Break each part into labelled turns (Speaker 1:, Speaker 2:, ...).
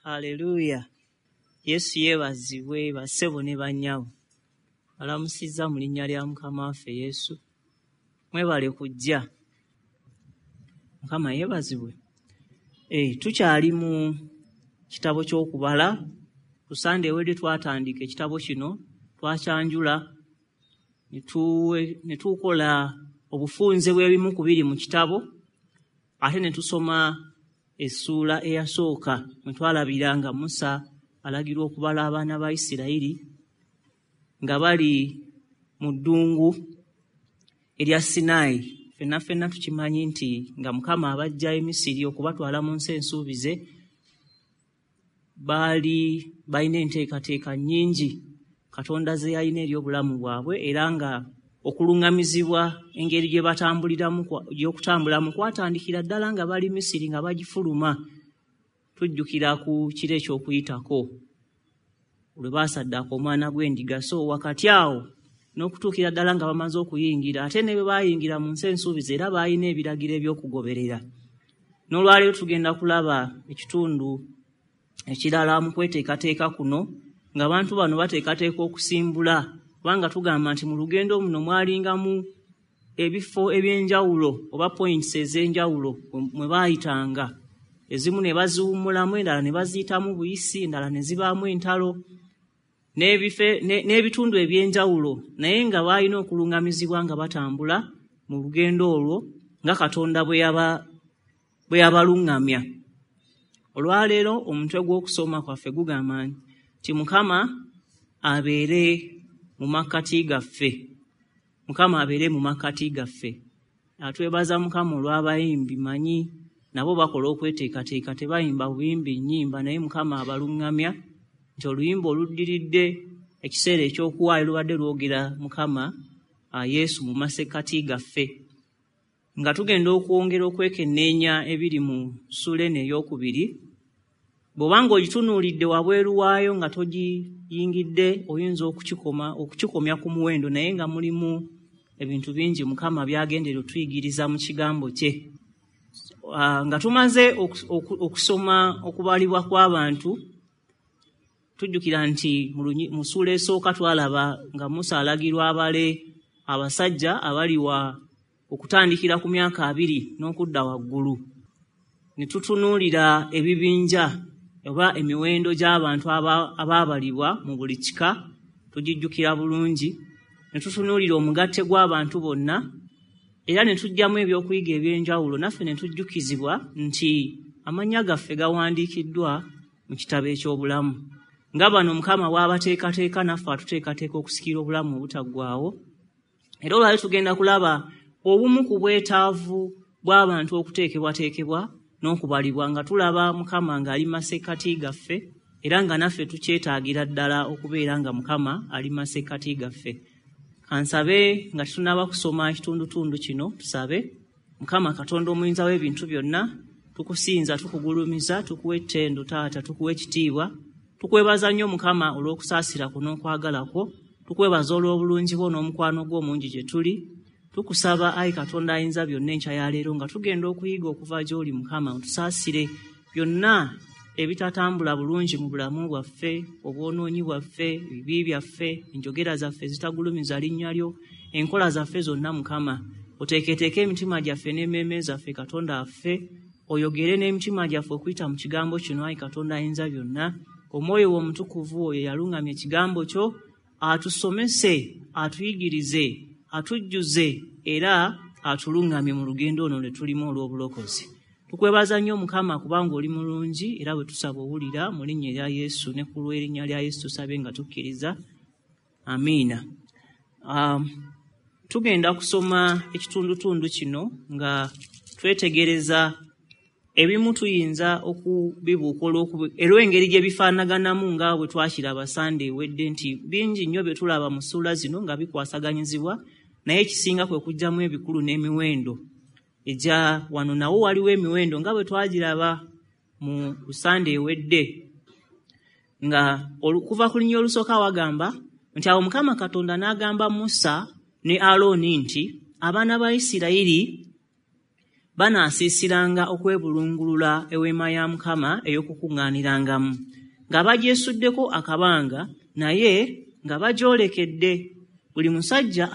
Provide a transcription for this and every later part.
Speaker 1: Haleluya. Yesu yeebazibwe bassebo ne bannyabo. Balamusizza mu linnya lya Mukama waffe Yesu. Mwebale kujja. Mukama yeebazibwe. Tukyali mu kitabo ky'okubala. Ku Sande ewedde twatandika ekitabo kino, twakyanjula ne tukola obufunze bw'ebimu ku biri mu kitabo, ate ne tusoma essuula eyasooka mwe twalabira nga Musa alagirwa okubala abaana ba Isirayiri nga bali mu ddungu erya Sinaayi. Ffenna ffenna tukimanyi nti nga Mukama abaggya e Misiri okubatwala mu nsi ensuubize, baali balina enteekateeka nnyingi Katonda ze yalina eri obulamu bwabwe, era nga okuluŋŋamizibwa engeri gye batambuliramu gy'okutambulamu kwatandikira ddala nga bali Misiri nga bagifuluma. Tujjukira ku kiro eky'okuyitako lwe baasaddaaka omwana gw'endiga. So wakati awo n'okutuukira ddala nga bamaze okuyingira, ate ne bwe baayingira mu nsi ensuubize era baalina ebiragiro eby'okugoberera. N'olwaleero tugenda kulaba ekitundu ekirala mu kweteekateeka kuno, ng'abantu bano bateekateeka okusimbula, kubanga tugamba nti mu lugendo muno mwalingamu ebifo eby'enjawulo oba points ez'enjawulo mwe baayitanga. Ezimu ne baziwummulamu, endala ne baziyitamu buyisi, endala ne zibaamu entalo n'ebitundu eby'enjawulo, naye nga baalina okuluŋŋamizibwa nga batambula mu lugendo olwo nga Katonda bwe yabaluŋŋamya. Olwaleero omutwe gw'okusoma kwaffe gugamba nti Mukama abeere mu makkati gaffe. Mukama abeere mu makkati gaffe. Atwebaza Mukama olw'abayimbi, manyi nabo bakola okweteekateeka, tebayimba buyimbi nnyimba, naye Mukama abaluŋŋamya nti oluyimba oluddiridde ekiseera eky'okuwaayo lubadde lwogera Mukama Yesu mu masekkati gaffe. Nga tugenda okwongera okwekenneenya ebiri mu ssuula eno ey'okubiri, bw'obanga ogitunuulidde wabweru waayo nga togiyingidde, oyinza okukikomya ku muwendo, naye nga mulimu ebintu bingi Mukama by'agendera otuyigiriza mu kigambo kye. Nga tumaze okusoma okubalibwa kw'abantu, tujjukira nti mu ssuula esooka twalaba nga Musa alagirwa abale abasajja abali wa okutandikira ku myaka 20 n'okudda waggulu. Ne tutunuulira ebibinja oba emiwendo gy'abantu abaabalibwa mu buli kika, tugijjukira bulungi. Ne tutunuulira omugatte gw'abantu bonna, era ne tuggyamu ebyokuyiga eby'enjawulo, naffe ne tujjukizibwa nti amannya gaffe gawandiikiddwa mu kitabo eky'obulamu. Nga bano Mukama bw'abateekateeka, naffe atuteekateeka okusikira obulamu obutaggwaawo. Era olwaleero tugenda kulaba obumu ku bwetaavu bw'abantu okuteekebwateekebwa n'okubalibwa, nga tulaba Mukama ng'ali mu masekkati gaffe, era nga naffe tukyetaagira ddala okubeera nga Mukama ali mu masekkati gaffe. Kansabe nga tetunnaba kusoma ekitundutundu kino, tusabe. Mukama Katonda omuyinza w'ebintu byonna, tukusinza, tukugulumiza, tukuwa ettendo Taata, tukuwa ekitiibwa. Tukwebaza nnyo Mukama olw'okusaasira kwo n'okwagala kwo. Tukwebaza olw'obulungi bwo n'omukwano gwo omungi gye tuli. Tukusaba ayi Katonda ayinza byonna enkya ya leero nga tugenda okuyiga okuva gy'oli Mukama, otusaasire byonna ebitatambula bulungi mu bulamu bwaffe, obwonoonyi bwaffe, ebibi byaffe, enjogera zaffe ezitagulumiza linnya lyo, enkola zaffe zonna Mukama. Oteeketeeke emitima gyaffe n'emmeeme zaffe Katonda waffe, oyogere n'emitima gyaffe okuyita mu kigambo kino ayi Katonda ayinza byonna. Omwoyo wo omutukuvu oyo yaluŋŋamya ekigambo kyo, atusomese, atuyigirize, atujjuze era atuluŋŋamye mu lugendo luno lwe tulimu olw'obulokozi. Tukwebaza nnyo Mukama kubanga oli mulungi, era bwe tusaba owulira mu linnya erya Yesu ne ku lw'erinnya lya Yesu tusabe nga tukkiriza. Amiina. Tugenda kusoma ekitundutundu kino nga twetegereza ebimu tuyinza okubibuuka olw'engeri gye bifaanaganamu nga bwe twakiraba Sande ewedde nti bingi nnyo bye tulaba mu ssuula zino nga bikwasaganyizibwa, naye ekisinga kwe kuggyamu ebikulu n'emiwendo egya wano. Nawo waliwo emiwendo nga bwe twagiraba mu Sande ewedde, nga okuva ku linnya olusooka wagamba nti awo Mukama Katonda n'agamba Musa ne Alooni nti abaana ba Isirayiri Banaasiisiranga okwebulungulula eweema ya Mukama ey'okukuŋŋaanirangamu, nga bagyesuddeko akabanga naye nga bagyolekedde. Buli musajja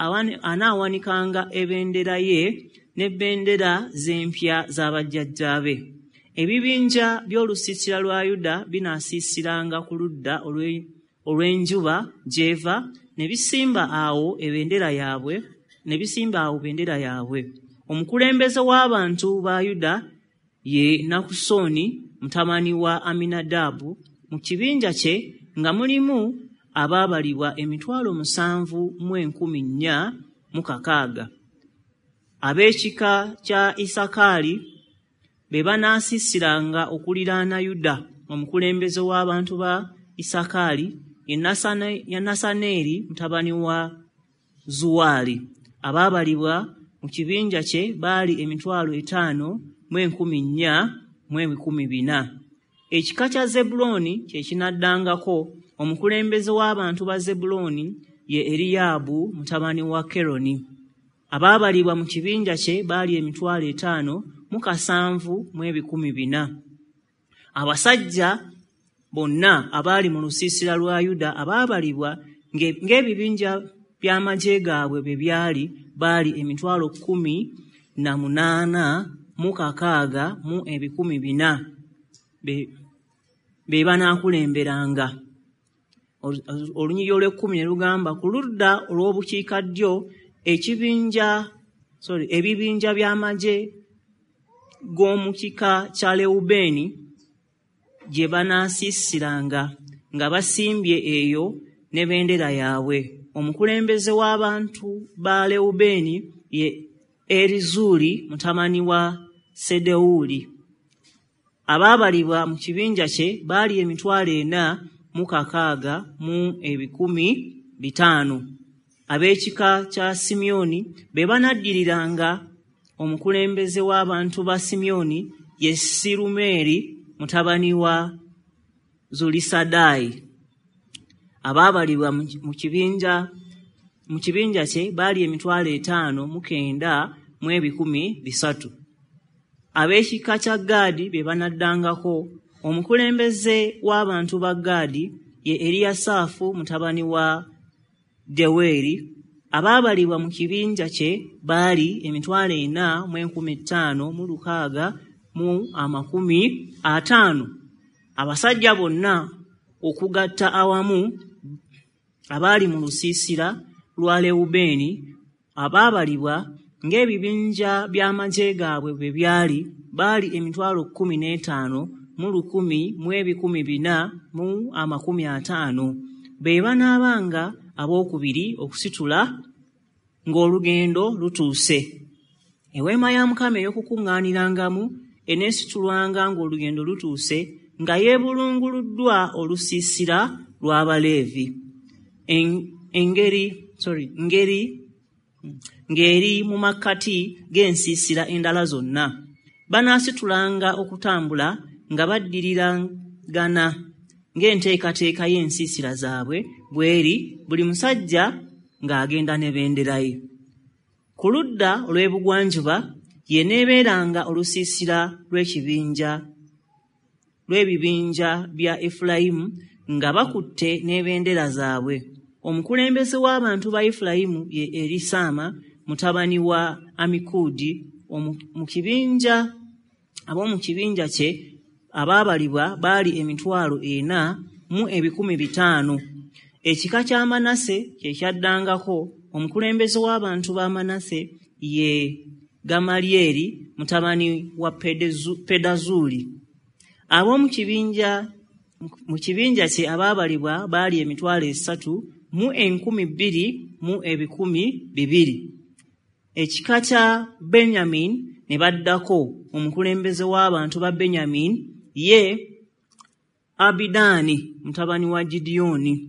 Speaker 1: anaawanikanga ebendera ye n'ebendera z'empya z'abajjajjaabe. Ebibinja by'olusiisira lwa Yuda binaasiisiranga ku ludda olw'enjuba gy'eva ne bisimba awo ebendera yaabwe. Omukulembeze w'abantu ba Yuda ye Nakusoni mutabani wa Aminadaabu. Mu kibinja kye nga mulimu abaabalibwa 7,460. Ab'ekika kya Isakaali be banaasiisiranga okuliraana Yuda. Omukulembeze w'abantu ba Isakaali ye Nasaneeri mutabani wa Zuwaali. Abaabalibwa mu kibinja kye baali 5,400,400. Ekika kya Zebbulooni kye kinaddangako. Omukulembeze w'abantu ba Zebbulooni ye Eriyaabu mutabani wa Keroni. Abaabalibwa mu kibinja kye baali 5,074,400. Abasajja bonna abaali mu lusiisira lwa Yuda abaabalibwa ng'ebibinja by'amagye gaabwe bwe byali baali 18,604,400 be banaakulemberanga. Olunyiriri olw'ekkumi ne lugamba, ku ludda olw'obukiikaddyo ebibinja by'amagye g'omu kika kya Lewubeeni gye banaasiisiranga nga basimbye eyo ne bendera yaabwe. Omukulembeze w'abantu ba Lewubeeni ye Erizuuli mutabani wa Sedewuli. Abaabalibwa mu kibinja kye baali 4,065,500. Ab'ekika kya Simyoni be banaddiriranga. Omukulembeze w'abantu ba Simyoni ye Sirumeeri mutabani wa Zulisadaayi. Abaabalibwa mu kibinja kye baali 5,903,300. Ab'ekika kya Gaadi be banaddangako. Omukulembeze w'abantu ba Gaadi ye Eriyasaafu mutabani wa Deweri. Abaabalibwa mu kibinja kye baali 4,560,650. Abasajja bonna okugatta awamu abaali mu lusiisira lwa Lewubeeni abaabalibwa ng'ebibinja by'amagye gaabwe bwe byali baali 15,114,450. Be banaabanga abookubiri okusitula ng'olugendo lutuuse. Eweema ya Mukama ey'okukuŋŋaanirangamu eneesitulwanga ng'olugendo lutuuse nga yeebulunguluddwa olusiisira lw'Abaleevi. Ng'eri mu makkati g'ensiisira endala zonna. Banaasitulanga okutambula nga baddiriragana ng'enteekateeka y'ensiisira zaabwe bw'eri, buli musajja ng'agenda ne bendera ye. Ku ludda olw'ebugwanjuba y'eneebeeranga olusiisira lw'ebibinja bya Efulayimu nga bakutte n'ebendera zaabwe. Omukulembeze w'abantu ba Efulayimu ye Erisaama mutabani wa Amikudi. Ab'omu kibinja kye abaabalibwa baali 4,500. Ekika kya Manase kye kyaddangako. Omukulembeze w'abantu ba Manase ye Gamalyeri mutabani wa Pedazuuli. Ab'omu kibinja kye abaabalibwa baali 3,200,200. Ekika kya Benyamini ne baddako. Omukulembeze w'abantu ba Benyamini ye Abidaani mutabani wa Gidyoni.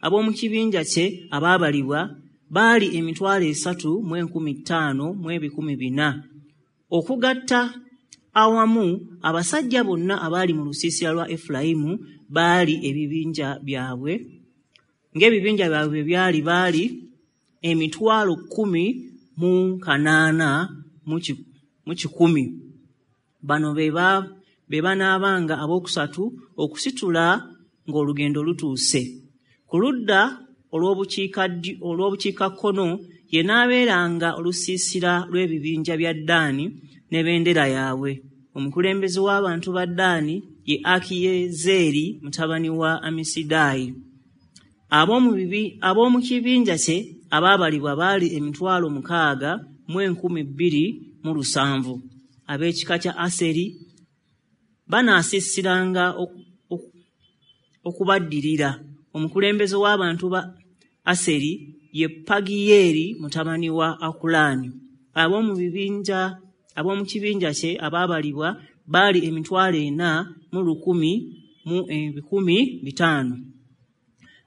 Speaker 1: Ab'omu kibinja kye abaabalibwa baali 3,500,400. Okugatta awamu abasajja bonna abaali mu lusiisira lwa Efulayimu baali ebibinja byabwe ng'ebibinja byabwe byali baali 18,000 mu 100. Bano be banaabanga abookusatu okusitula ng'olugendo lutuuse. Ku ludda olw'obukiikakkono ye n'abeeranga olusiisira lw'ebibinja bya Ddaani n'ebendera yaabwe. Omukulembeze w'abantu ba Ddaani ye Akiyezeeri mutabani wa Amisidaayi. Ab'omu kibinja kye abaabalibwa baali 62,270. Ab'ekika kya Aseri banaasiisiranga okubaddirira. Omukulembeze w'abantu ba Aseri ye Pagiyeeri mutabani wa Akulaani. Ab'omu kibinja kye abaabalibwa baali 401,500.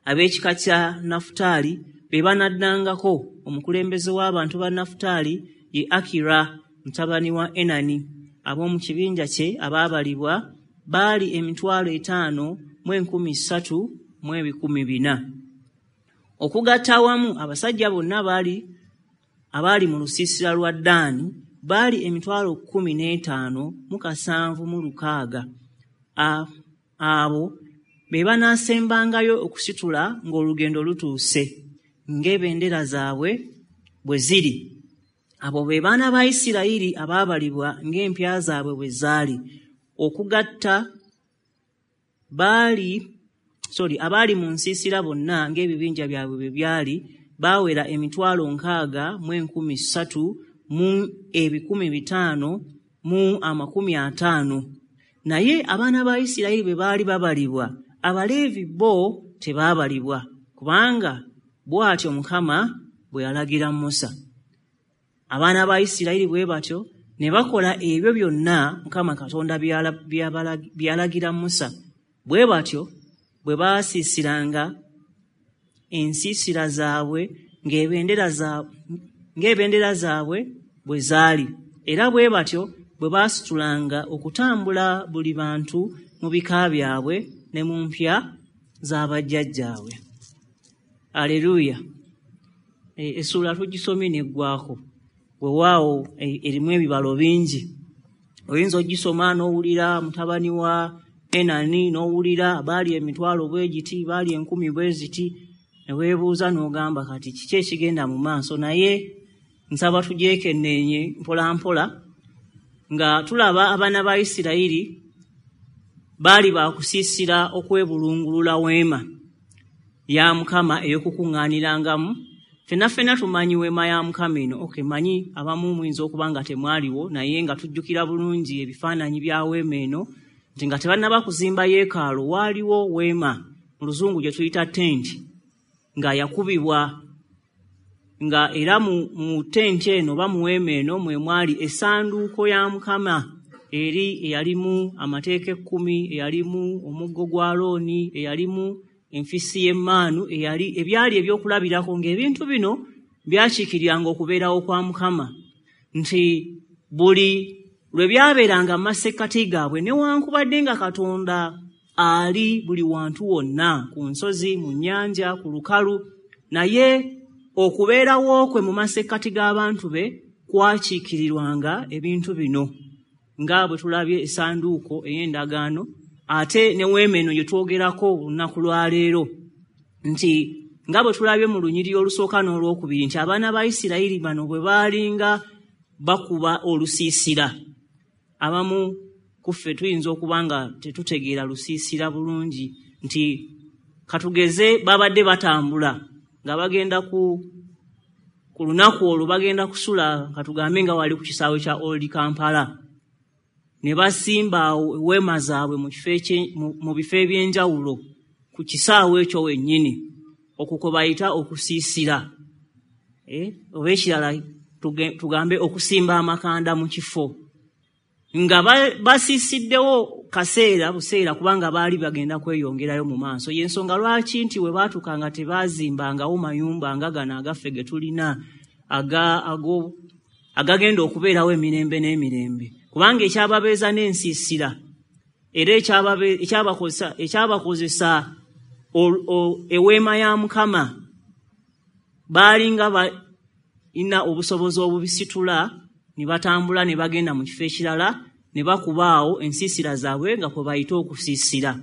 Speaker 1: Ab'ekika kya Nafutaali be banaddangako. Omukulembeze w'abantu ba Nafutaali ye Akira mutabani wa Enani. Ab'omu kibinja kye abaabalibwa baali 5,300,400. Okugatta awamu abasajja bonna abaali mu lusiisira lwa Ddaani baali 15,706. Abo be banaasembangayo okusitula ng'olugendo lutuuse, ng'ebendera zaabwe bwe ziri. Abo be baana ba Isirayiri abaabalibwa ng'empya zaabwe bwe zaali. Okugatta abaali mu nsiisira bonna ng'ebibinja byabwe bwe byali baawera 63,550. Naye abaana ba Isirayiri bwe baali babalibwa, Abaleevi bo tebaabalibwa, kubanga bw'atyo Mukama bwe yalagira Musa. Abaana ba Isirayiri bwe batyo ne bakola ebyo byonna Mukama Katonda bye yalagira Musa. Bwe batyo bwe baasiisiranga ensiisira zaabwe ng'ebendera zaabwe bwe zaali, era bwe batyo bwe baasitulanga okutambula buli bantu mu bika byabwe ne mu mpya z'abajjajjaabwe. Aleluya! Essuula tugisomye n'eggwako. Weewaawo erimu ebibalo bingi. Oyinza ogisoma n'owulira mutabani wa Enani, n'owulira baali 10,000 bwe giti, baali 1,000 bwe ziti, ne weebuuza n'ogamba kati kiki ekigenda mu maaso. Naye nsaba tugyekenneenye mpola mpola nga tulaba abaana ba Isirayiri baali baakusiisira okwebulungulula weema ya Mukama ey'okukuŋŋaanirangamu. Ffenna ffenna tumanyi weema ya Mukama eno. Okay, manyi abamu muyinza okuba nga temwaliwo, naye nga tujjukira bulungi ebifaananyi bya weema eno, nti nga tebannaba kuzimba yeekaalu waaliwo weema, mu Luzungu gye tuyita tenti, nga yakubibwa, nga era mu tenti eno oba mu weema eno mwe mwali essanduuko ya Mukama eri eyalimu amateeka 10, eyalimu omuggo gwa Alooni, eyalimu enfisi y'emmaanu, eyali ebyali ebyokulabirako, ng'ebintu bino byakiikiriranga okubeerawo kwa Mukama, nti buli lwe byabeeranga mu masekkati gaabwe, newankubadde nga Katonda ali buli wantu wonna, ku nsozi, mu nnyanja, ku lukalu, naye okubeerawo kwe mu masekkati g'abantu be kwakiikirirwanga ebintu bino, nga bwe tulabye essanduuko ey'endagaano, ate ne weema eno gye twogerako olunaku lwa leero, nti nga bwe tulabye mu lunyiriri olusooka n'olwokubiri, nti abaana ba Isirayiri bano bwe baalinga bakuba olusiisira. Abamu ku ffe tuyinza okuba nga tetutegeera lusiisira bulungi, nti katugeze babadde batambula nga bagenda ku lunaku olwo bagenda kusula, katugambe nga wali ku kisaawe kya Old Kampala, ne basimba weema zaabwe mu bifo eby'enjawulo ku kisaawe ekyo wennyini, okwo kwe bayita okusiisira, oba ekirala tugambe okusimba amakanda mu kifo, nga basiisiddewo kaseera buseera, kubanga baali bagenda kweyongerayo mu maaso. Y'ensonga lwaki nti we baatuukanga tebaazimbangawo mayumba nga gano agaffe ge tulina agagenda okubeerawo emirembe n'emirembe, kubanga ekyababeeza n'ensiisira era ekyabakozesa eweema ya Mukama, baalinga balina obusobozi obubisitula ne batambula ne bagenda mu kifo ekirala ne bakubaawo ensiisira zaabwe nga kwe bayita okusiisira.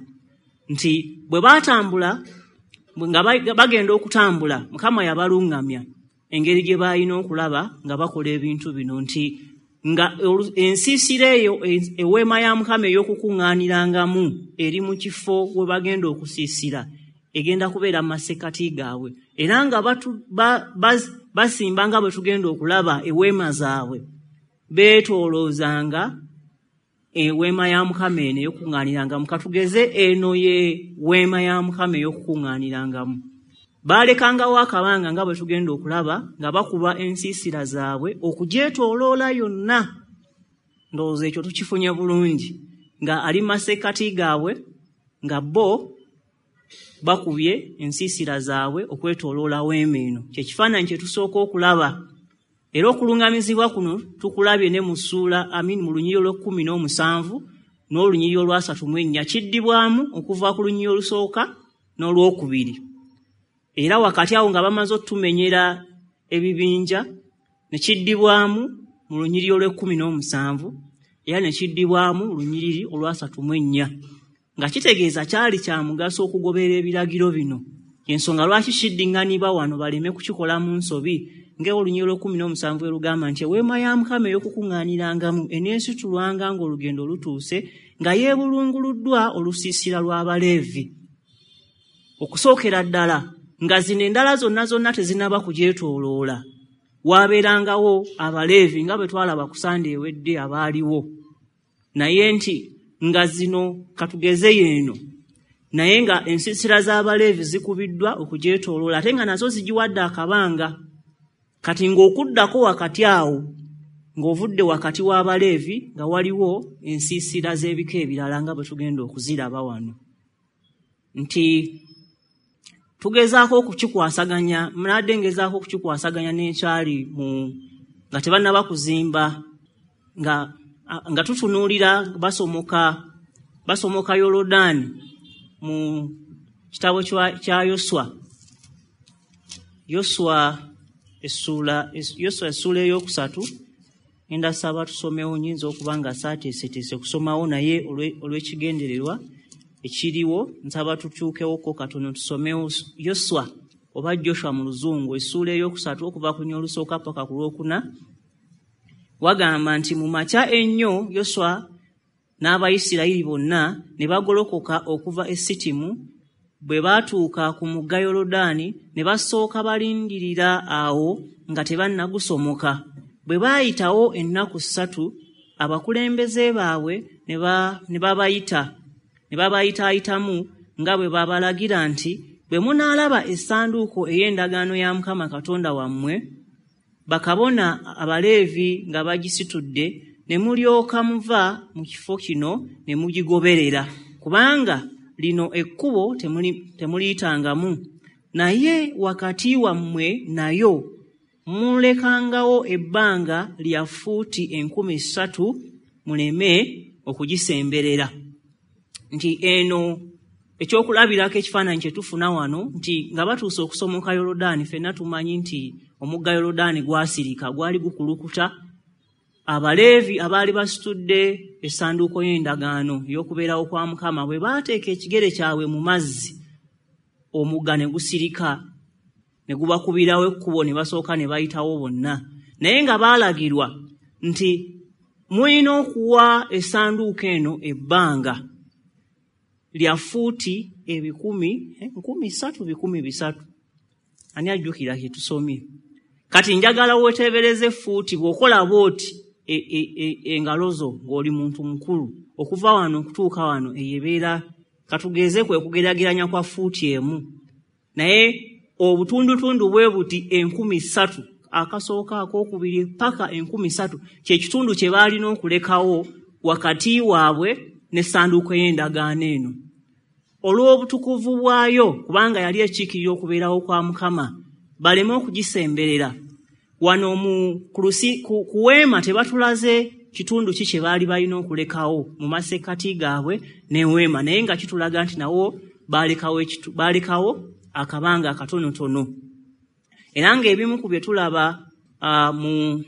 Speaker 1: Nti bwe baatambula nga bagenda okutambula, Mukama yabaluŋŋamya engeri gye baalina okulaba nga bakola ebintu bino, nti nga ensiisira eyo eweema ya Mukama ey'okukuŋŋaanirangamu eri mu kifo we bagenda okusiisira, egenda kubeera mu masekkati gaabwe, era nga basimba nga bwe tugenda okulaba eweema zaabwe, beetooloozanga eweema ya Mukama eno ey'okukuŋŋaanirangamu. Katugeze eno ye weema ya Mukama ey'okukuŋŋaanirangamu. Baalekangawo akabanga nga bwe tugenda okulaba nga bakuba ensiisira zaabwe okugyetooloola yonna. Ndowooza ekyo tukifunye bulungi, nga ali mu masekkati gaabwe nga bo bakubye ensiisira zaabwe okwetooloola weema eno. Kye kifaananyi kye tusooka okulaba. Era okuluŋŋamizibwa kuno tukulabye ne mu ssuula mu lunyiriri olw'e17 n'olunyiriri olwa34, kiddibwamu okuva ku lunyiriri olusooka n'olwokubiri. Era wakati awo nga bamaze otumenyera ebibinja, ne kiddibwamu mu lunyiriri olw'e17 era ne kiddibwamu mu lunyiriri olwa34, nga kitegeeza kyali kya mugaso okugoberera ebiragiro bino. Ensonga lwaki kiddiŋŋanibwa wano baleme kukikola mu nsobi, ng'olunyiriri olw'e17 erugamba nti eweema ya Mukama ey'okukuŋŋaanirangamu eneesitulwanga ng'olugendo lutuuse, nga yeebulunguluddwa olusiisira lw'Abaleevi. Okusookera ddala nga zino endala zonna zonna tezinnaba kugyetooloola, waabeerangawo Abaleevi nga bwe twalaba ku Sande ewedde abaaliwo. Naye nti nga zino katugeze yeeno, naye nga ensiisira z'Abaleevi zikubiddwa okugyetooloola, ate nga nazo zigiwadde akabanga. Kati ng'okuddako wakati awo, ng'ovudde wakati w'Abaleevi, nga waliwo ensiisira z'ebika ebirala nga bwe tugenda okuziraba wano. Nti tugezaako okukikwasaganya, mnadde ngezaako okukikwasaganya n'ekyali mu nga tebannaba kuzimba, nga tutunuulira basomoka Yorodaani mu kitabo kya Yoswa. Yoswa essuula 3, ngenda saba tusomewo, nnyinza okuba nga saateeseteese kusomawo, naye olw'ekigendererwa ekiriwo nsaba tukyukewoko katono tusomewo Yoswa oba Joshua mu Luzungu, essuula 3 okuva ku lusooka paka ku 4. Wagamba nti mu makya ennyo Yoswa n'Abayisirayiri bonna ne bagolokoka okuva e Sitimu. Bwe baatuuka ku mugga Yorodaani ne basooka balindirira awo nga tebannagusomoka. Bwe baayitawo ennaku 3, abakulembeze baabwe ne babayitaayitamu nga bwe babalagira nti bwe munaalaba essanduuko ey'endagaano ya Mukama Katonda wammwe, bakabona Abaleevi nga bagisitudde, ne mulyoka muva mu kifo kino ne mugigoberera, kubanga lino ekkubo temuliyitangamu, naye wakati wammwe nayo mulekangawo ebbanga lya fuuti 3,000 muleme okugisemberera. Nti eno ekyokulabirako ekifaananyi kye tufuna wano, nti nga batuuse okusomoka Yorodaani, ffenna tumanyi nti omugga Yorodaani gwasirika, gwali gukulukuta. Abaleevi abaali basitudde essanduuko y'endagaano ey'okubeerawo kwa Mukama bwe baateeka ekigere kyabwe mu mazzi, omugga ne gusirika ne gubakubirawo ekkubo, ne basooka ne bayitawo bonna. Naye nga baalagirwa nti mulina okuwa essanduuko eno ebbanga lya fuuti 3,300. Ani ajjukira kye tusomye? Kati njagala weeteebereze fuuti, bw'okola bw'oti engalo zo ng'oli muntu mukulu, okuva wano okutuuka wano eyo ebeera, katugeze kwe kugeraageranya kwa fuuti 1, naye obutundutundu bwe buti 3,000, akasooka akookubiri paka 3,000, kye kitundu kye baalina okulekawo wakati waabwe n'essanduuko y'endagaano eno. Olw'obutukuvu bwayo, kubanga yali ekiikirira okubeerawo kwa Mukama, baleme okugisemberera. Wano ku weema tebatulaze kitundu ki kye baali balina okulekawo mu masekkati gaabwe n'eweema, naye nga kitulaga nti nawo baalekawo akabanga akatonotono. Era ng'ebimu ku bye tulaba mu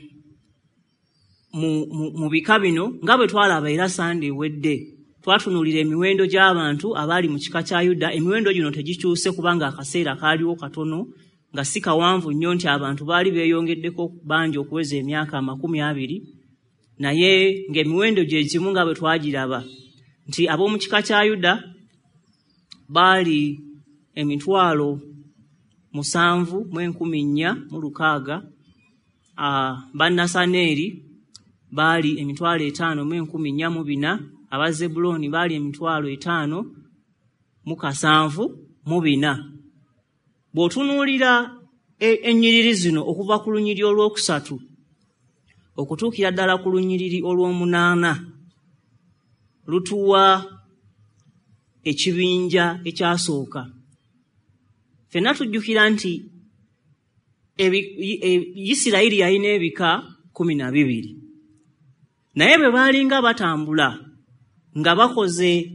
Speaker 1: Mu bika bino nga bwe twalaba era Sande ewedde, twatunuulira emiwendo gy'abantu abaali mu kika kya Yuda. Emiwendo gino tegikyuse kubanga akaseera kaaliwo katono nga si kawanvu nnyo nti abantu baali beeyongeddeko bangi okuweza emyaka 20, naye ng'emiwendo gye gimu nga bwe twagiraba nti ab'omu kika kya Yuda baali 7,460, Bannasaneeri baali 5,404, Abazebbulooni baali 5,074. Bw'otunuulira ennyiriri zino okuva ku lunyiriri olwokusatu okutuukira ddala ku lunyiriri olw'omunaana, lutuwa ekibinja ekyasooka. Ffenna tujjukira nti Isirayiri yalina ebika 12, naye bwe baalinga batambula nga bakoze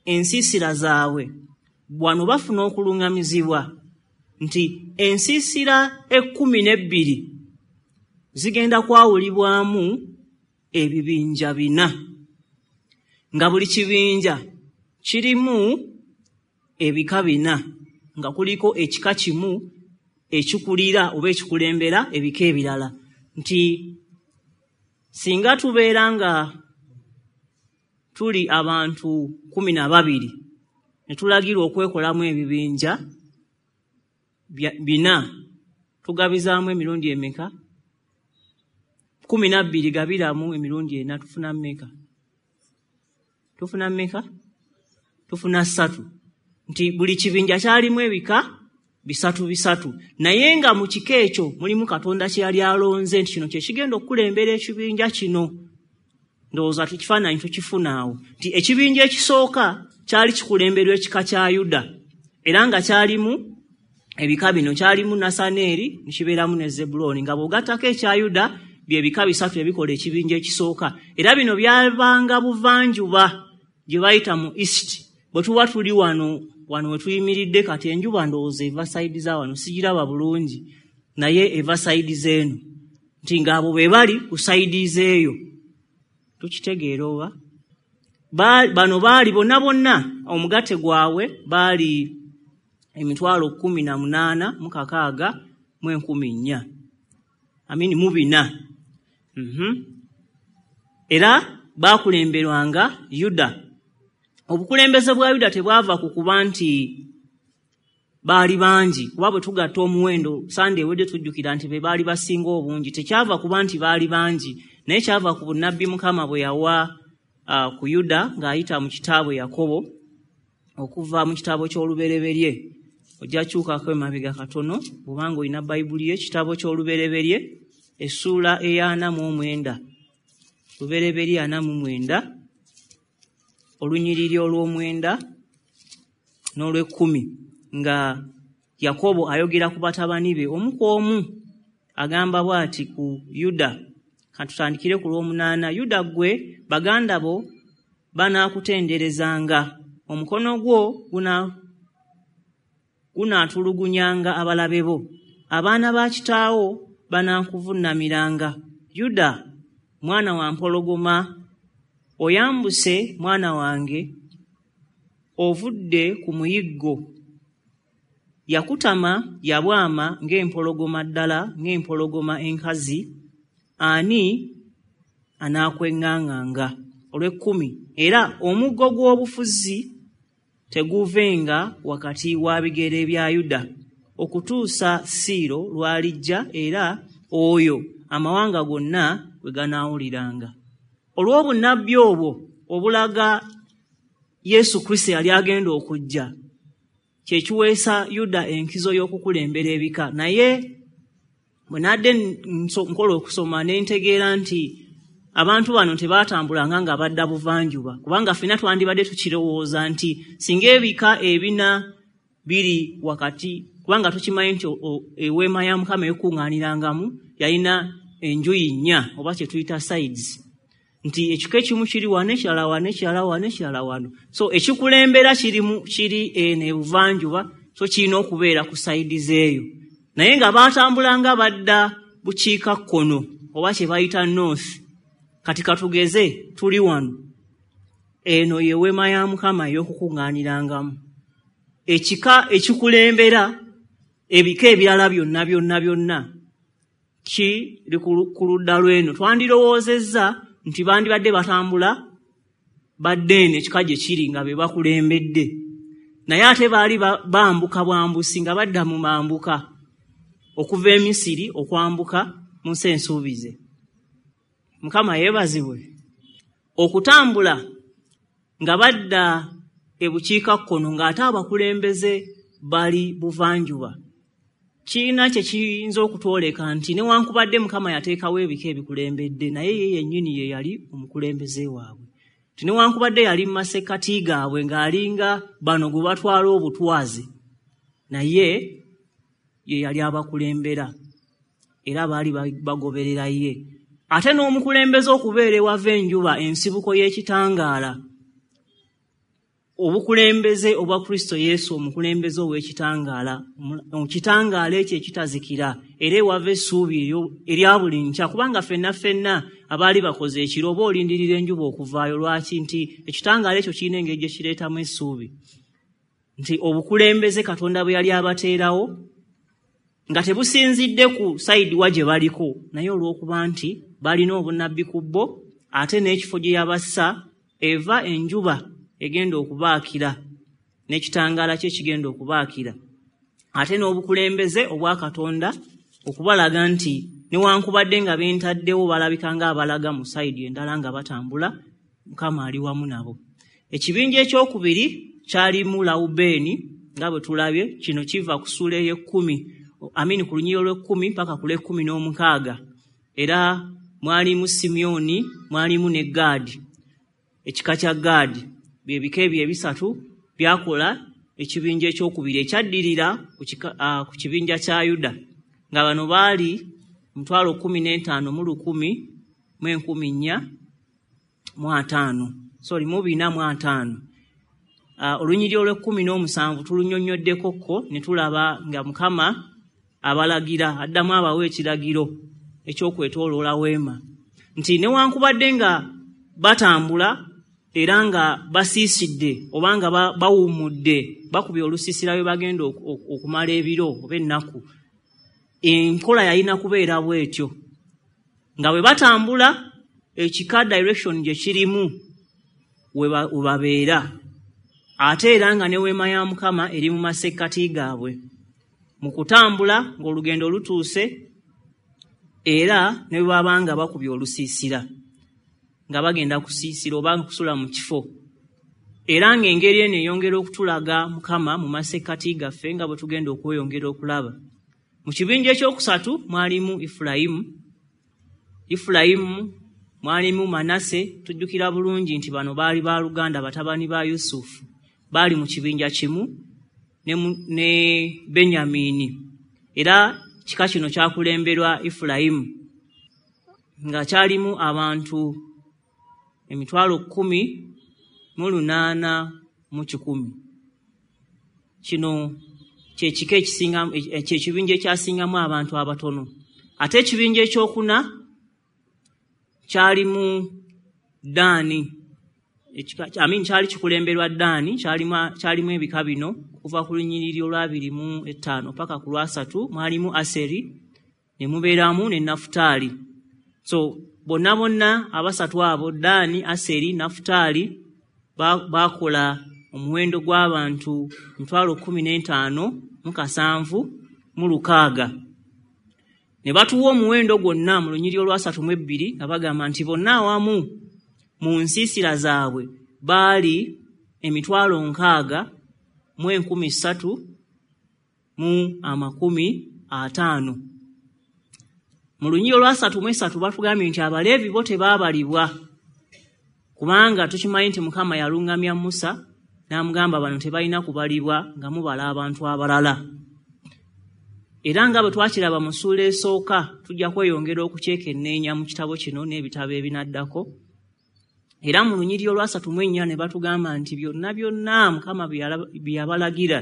Speaker 1: ensiisira zaabwe, wano bafuna okuluŋŋamizibwa nti ensiisira 12 zigenda kwawulibwamu ebibinja 4, nga buli kibinja kirimu ebika 4, nga kuliko ekika kimu ekikulira oba ekikulembera ebika ebirala. Nti singa tubeera nga tuli abantu 12 ne tulagirwa okwekolamu ebibinja 4, tugabizaamu emirundi emeka? 12 gabiramu emirundi 4, tufuna mmeka? Tufuna mmeka? Tufuna 3. Nti buli kibinja kyalimu ebika 3 3, naye nga mu kika ekyo mulimu Katonda kye yali alonze nti kino kye kigenda okukulembera ekibinja kino. Ndowooza ekifaananyi tukifuna awo nti ekibinja ekisooka kyali kikulemberwa ekika kya Yuda, era nga kyalimu ebika bino, kyalimu Nasaneeri ne kibeeramu ne Zebbulooni, nga bw'ogattako ekya Yuda bye bika 3 ebikola ekibinja ekisooka. Era bino byabanga buvanjuba gye bayita mu East. Bwe tuba tuli wano we tuyimiridde kati, enjuba ndowooza eva sayidi za wano, sigiraba bulungi, naye eva sayidi z'eno, nti ng'abo be bali ku sayidi z'eyo. Tukitegeera oba? Bano baali bonna bonna omugatte gwabwe baali 18,604 amini mu 4. Era baakulemberwanga Yuda. Obukulembeze bwa Yuda tebwava ku kuba nti baali bangi, kuba bwe tugatta omuwendo Sande ewedde tujjukira nti be baali basinga obungi. Tekyava kuba nti baali bangi, naye kyava ku bunnabbi Mukama bwe yawa ku Yuda ng'ayita mu kitaabwe Yakobo, okuva mu kitabo ky'Olubereberye. Ojja kyukako emabega katono bw'obanga olina Bayibuli yo, ekitabo ky'Olubereberye essuula eya 49, Lubereberye 49, olunyiriri olw'omwenda n'olw'ekkumi, nga Yakobo ayogera ku batabani be omu ku omu. Agamba bw'ati ku Yuda, katutandikire ku lw'omunaana: Yuda ggwe, baganda bo banaakutenderezanga, omukono gwo gunaatulugunyanga abalabe bo, abaana ba kitaawo banaakuvuunamiranga. Yuda mwana wa mpologoma, oyambuse mwana wange, ovudde ku muyiggo. Yakutama yabwama ng'empologoma ddala, ng'empologoma enkazi, ani anaakweŋŋaŋŋanga? Olw'ekkumi, era omuggo gw'obufuzi teguvenga wakati wa bigere bya Yuda okutuusa Siiro lw'alijja, era oyo amawanga gonna gwe ganaawuliranga. Olw'obunnabbi obwo obulaga Yesu Kristo yali agenda okujja, kye kiweesa Yuda enkizo y'okukulembera ebika. Naye bwe nadde nkola okusoma ne ntegeera nti abantu bano tebaatambulanga nga badda buvanjuba, kubanga ffenna twandibadde tukirowooza nti singa ebika 4 biri wakati, kubanga tukimanyi nti eweema ya Mukama ekuŋŋaanirangamu yalina enjuyi 4 oba kye tuyita sides, nti ekika ekimu kiri wano, ekirala wano, ekirala wano, ekirala wano. So ekikulembera kiri eno ebuvanjuba, so kirina okubeera ku sayidi z'eyo. Naye nga baatambulanga badda bukiikakkono oba kye bayita north. Kati katugeze tuli wano, eno ye weema ya Mukama ey'okukuŋŋaanirangamu. Ekika ekikulembera ebika ebirala byonna byonna byonna kiri ku ludda lw'eno. Twandirowoozezza nti bandibadde batambula badde eno ekika gye kiri nga be bakulembedde, naye ate baali bambuka bwambusi nga badda mu mambuka okuva e Misiri okwambuka mu nsi ensuubize. Mukama yeebazibwe. Okutambula nga badda ebukiikakkono ng'ate abakulembeze bali buvanjuba kirina kye kiyinza okutwoleka nti newankubadde Mukama yateekawo ebika ebikulembedde, naye ye yennyini ye yali omukulembeze waabwe. Nti newankubadde yali mu masekkati gaabwe ng'alinga bano gwe batwala obutwazi, naye ye yali abakulembera era baali bagoberera ye. Ate n'omukulembeze okubeera ewava enjuba, ensibuko y'ekitangaala, obukulembeze obwa Kristo Yesu, omukulembeze ow'ekitangaala, ekitangaala ekyo ekitazikira era ewava essuubi erya buli nkya, kubanga ffenna ffenna abaali bakoze ekiro oba olindirira enjuba okuvaayo. Lwaki? Nti ekitangaala ekyo kirina engeri gye kireetamu essuubi. Nti obukulembeze Katonda bwe yali abateerawo nga tebusinzidde ku sayidi wa gye baliko, naye olw'okuba nti balina obunnabbi ku bo, ate n'ekifo gye yabassa eva enjuba egenda okubaakira n'ekitangaala kye kigenda okubaakira, ate n'obukulembeze obwa Katonda okubalaga nti newankubadde nga bentaddewo balabika ng'abalaga mu sayidi endala nga batambula, Mukama ali wamu nabo. Ekibinja ekyokubiri kyalimu Lawubeeni nga bwe tulabye, kino kiva ku ssuula ey'ekkumi, amini ku lunyiriri olw'ekkumi paka ku lw'ekkumi n'omukaaga. Era mwalimu Simyoni, mwalimu ne Gaadi, ekika kya Gaadi. Bye bika ebyo ebisatu byakola ekibinja ekyokubiri ekyaddirira ku kibinja kya Yuda, nga bano baali 15,100 1450, sorry, 450. Olunyiriri olw'ekkumi n'omusanvu tulunnyonnyoddeko ko ne tulaba nga Mukama abalagira, addamu abawa ekiragiro ekyokwetooloola weema, nti newankubadde nga batambula era nga basiisidde oba nga bawummudde, bakubye olusiisira bwe bagenda okumala ebiro oba ennaku, enkola yalina kubeera bw'etyo nga bwe batambula ekika direction gye kirimu we babeera, ate era nga ne weema ya Mukama eri mu masekkati gaabwe mu kutambula ng'olugendo lutuuse, era ne bwe baba nga bakubye olusiisira nga bagenda kusiisira oba kusula mu kifo. Era ng'engeri eno eyongera okutulaga Mukama mu masekkati gaffe nga bwe tugenda okweyongera okulaba. Mu kibinja ekyokusatu mwalimu Ifulayimu. Ifulayimu mwalimu Manase. Tujjukira bulungi nti bano baali baluganda, batabani ba Yusufu, baali mu kibinja kimu ne Benyamini, era kika kino kyakulemberwa Ifulayimu nga kyalimu abantu 18,100. Kino kyekika ekisinga, kyekibinja ekyasingamu abantu abatono. Ate ekibinja ekyokuna kyalimu Ddaani, amin, kyali kikulemberwa Ddaani. Kyalimu ebika bino okuva ku lunyiriri olwabiri mu ttaano paka ku lwasatu. Mwalimu Aseri ne mubeeramu ne Nafutaali. So bonna bonna abasatu abo, Ddaani, Aseri, Nafutaali, baakola omuwendo gw'abantu 15,760. Ne batuwa omuwendo gwonna mu lunyiriri olwasatu mu ebbiri nga bagamba nti bonna awamu mu nsiisira zaabwe baali 60,350. Mu lunyiriri olwasatu mu esatu batugambye nti Abaleevi bo tebaabalibwa, kubanga tukimanyi nti Mukama yaluŋŋamya Musa n'amugamba bano tebalina kubalibwa nga mubala abantu abalala. Era nga bwe twakiraba mu ssuula esooka, tujja kweyongera okukyekenneenya mu kitabo kino n'ebitabo ebinaddako. Era mu lunyiriri olwasatu mu ennya ne batugamba nti byonna byonna Mukama bye yabalagira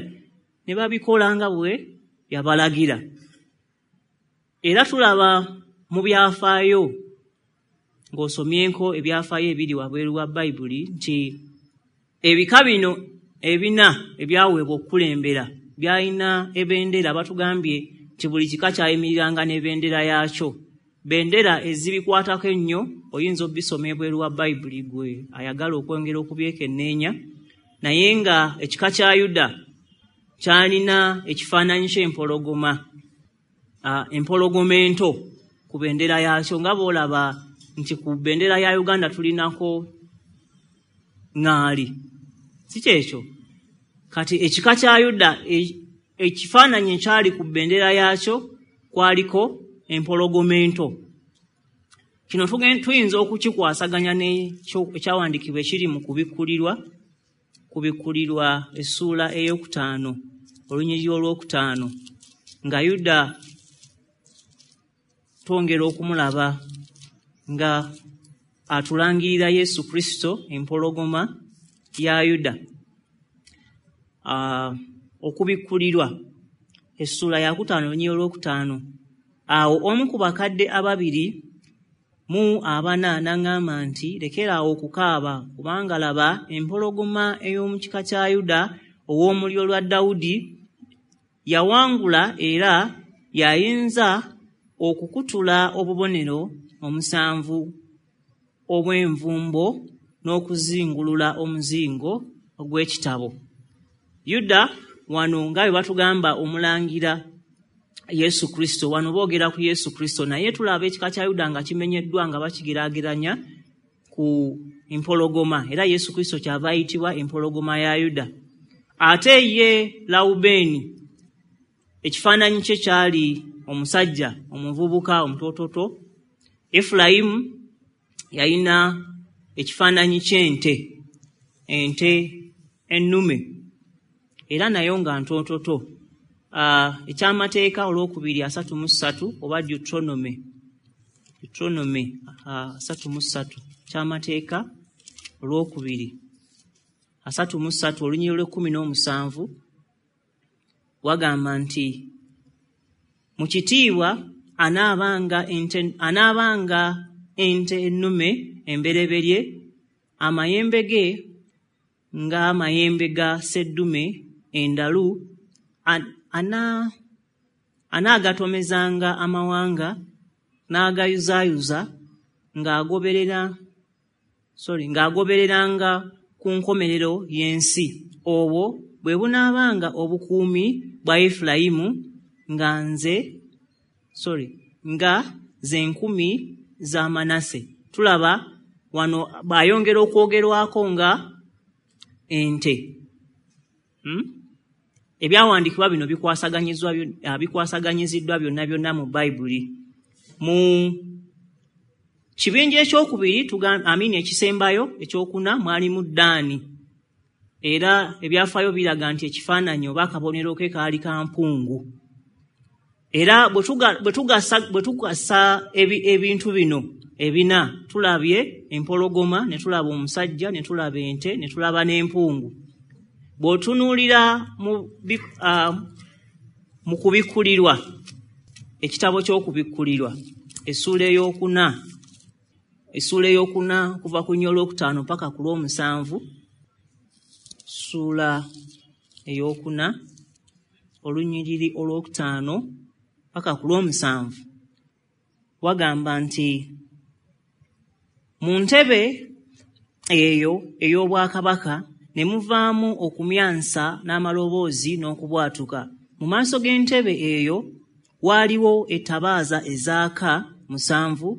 Speaker 1: ne babikola nga bwe yabalagira. Era tulaba mu byafaayo ng'osomyeko ebyafaayo ebiri wabweru wa Bayibuli nti ebika bino ebina ebyaweebwa okukulembera byalina ebendera. Batugambye nti buli kika kyayimiriranga n'ebendera yaakyo. Bendera ezibikwatako ennyo oyinza obisoma ebweru wa Bayibuli gwe ayagala okwongera okubyekenneenya, naye nga ekika kya Yuda kyalina ekifaananyi ky'empologoma, empologoma ento ku bendera yaakyo, nga bw'olaba nti ku bendera ya Uganda tulinako ŋŋaali, si kyekyo? Kati ekika kya Yuda ekifaananyi ekyali ku bendera yaakyo kwaliko empologoma ento. Kino tuyinza okukikwasaganya n'ekyawandiikibwa ekiri mu Kubikkulirwa essuula 5, olunyiriri 5, nga Yuda twongera okumulaba nga atulangirira Yesu Kristo, empologoma ya Yuda. Okubikkulirwa essuula 5, olunyiriri 5. Awo omu ku bakadde 24 n'aŋŋamba nti, "Lekeraawo okukaaba, kubanga laba, empologoma ey'omu kika kya Yuda, ow'omulyo lwa Dawudi, yawangula era y'ayinza okukutula obubonero 7 obw'envumbo n'okuzingulula omuzingo ogw'ekitabo." Yuda wano nga bwe batugamba omulangira Yesu Kristo, wano boogera ku Yesu Kristo, naye tulaba ekika kya Yuda nga kimenyeddwa nga bakigeraageranya ku empologoma, era Yesu Kristo kyava ayitibwa empologoma ya Yuda. Ate ye Lawubeeni ekifaananyi kye kyali omusajja omuvubuka omutoototo. Efulayimu yalina ekifaananyi ky'ente, ente ennume, era nayo nga ntoototo. Ekyamateeka 2:33 oba Deuteronomy 33, Ekyamateeka 2:33, olunyiriri 17, wagamba nti, "Mu kitiibwa anaabanga ente ennume embereberye, amayembe ge ng'amayembe ga sseddume endalu, anaagatomezanga amawanga n'agayuzaayuza ng'agobereranga ku nkomerero y'ensi. Obwo bwe bunaabanga obukuumi bwa Efulayimu nga ze nkumi za Manase." Tulaba wano bw'ayongera okwogerwako nga ente. Ebyawandiikibwa bino bikwasaganyiziddwa byonna byonna mu Bayibuli. Mu kibinja ekyokubiri, ekisembayo ekyokuna, mwalimu Ddaani, era ebyafaayo biraga nti ekifaananyi oba akabonero ke kaali ka mpungu. Era bwe tugasa ebintu bino ebina, tulabye empologoma, ne tulaba omusajja, ne tulaba ente, ne tulaba n'empungu. Bw'otunuulira mu Kubikkulirwa, ekitabo ky'Okubikkulirwa, essuula 4 okuva ku 5 paka ku 7, ssuula 4 olunyiriri 5 paka ku 7, wagamba nti, "Mu ntebe eyo ey'obwakabaka ne muvaamu okumyansa n'amaloboozi n'okubwatuka. Mu maaso g'entebe eyo waaliwo ettabaaza ezaaka 7